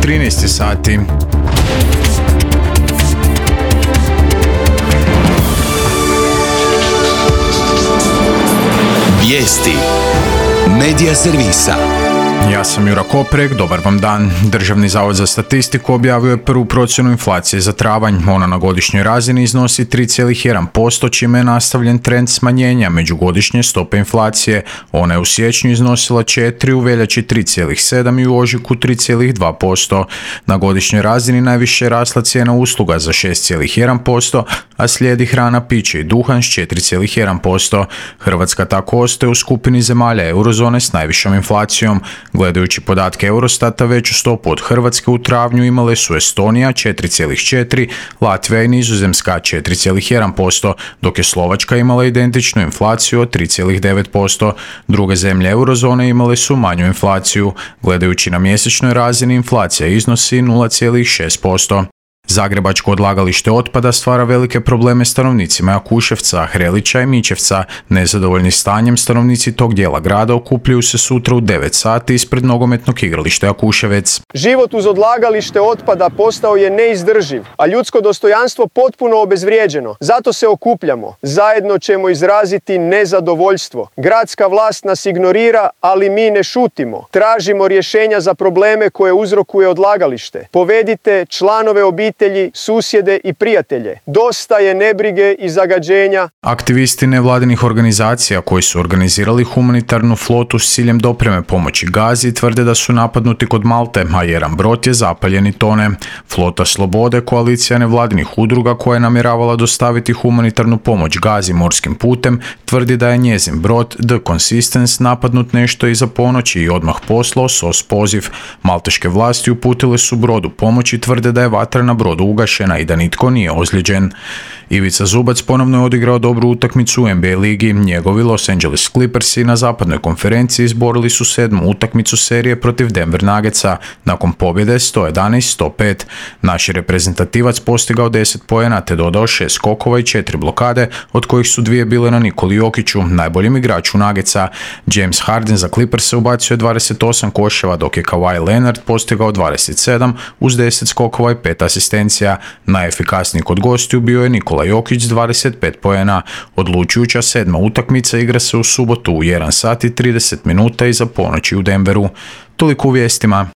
13 sati. Vijesti Medija servisa. Ja sam Jura Koprek, dobar vam dan. Državni zavod za statistiku objavio je prvu procjenu inflacije za travanj. Ona na godišnjoj razini iznosi 3,1%, čime je nastavljen trend smanjenja međugodišnje stope inflacije. Ona je u siječnju iznosila 4, u veljači 3,7 i u ožujku 3,2%. Na godišnjoj razini najviše je rasla cijena usluga za 6,1%, a slijedi hrana, piće i duhan s 4,1%. Hrvatska tako ostaje u skupini zemalja eurozone s najvišom inflacijom. Gledajući podatke Eurostata, veću stopu od Hrvatske u travnju imale su Estonija 4,4, Latvija i Nizozemska 4,1%, dok je Slovačka imala identičnu inflaciju od 3,9%. Druge zemlje eurozone imale su manju inflaciju. Gledajući na mjesečnoj razini, inflacija iznosi 0,6%. Zagrebačko odlagalište otpada stvara velike probleme stanovnicima Jakuševca, Hrelića i Mičevca. Nezadovoljni stanjem, stanovnici tog dijela grada okupljaju se sutra u 9 sati ispred nogometnog igrališta Jakuševec. Život uz odlagalište otpada postao je neizdrživ, a ljudsko dostojanstvo potpuno obezvrijeđeno. Zato se okupljamo. Zajedno ćemo izraziti nezadovoljstvo. Gradska vlast nas ignorira, ali mi ne šutimo. Tražimo rješenja za probleme koje uzrokuje odlagalište. Povedite članove obitelji, susjede i prijatelje. Dosta je nebrige i zagađenja. Aktivisti nevladinih organizacija koji su organizirali humanitarnu flotu s ciljem dopreme pomoći Gazi tvrde da su napadnuti kod Malte, a jedan brod je zapaljen i tone. Flota Slobode, koalicija nevladinih udruga koja je namjeravala dostaviti humanitarnu pomoć Gazi morskim putem, tvrdi da je njezin brod The Consistence napadnut nešto iza ponoći i odmah poslao SOS poziv. Malteške vlasti uputile su brodu pomoć i tvrde da je vatra na brodu ugašena i da nitko nije ozlijeđen. Ivica Zubac ponovno je odigrao dobru utakmicu u NBA ligi. Njegovi Los Angeles Clippersi na zapadnoj konferenciji izborili su 7. utakmicu serije protiv Denver Nuggetsa nakon pobjede 111-105. Naš je reprezentativac postigao 10 poena te dodao 6 skokova i 4 blokade, od kojih su 2 bile na Nikoli Jokiću, najboljem igraču Nuggetsa. James Harden za Clippers ubacio je 28 koševa, dok je Kawhi Leonard postigao 27 uz 10 skokova i 5 asistencija. Najefikasniji kod gostiju bio je Nikola Jokić s 25 poena. Odlučujuća 7. utakmica igra se u subotu u 1 sat i 30 minuta iza ponoći u Denveru. Toliko u vijestima.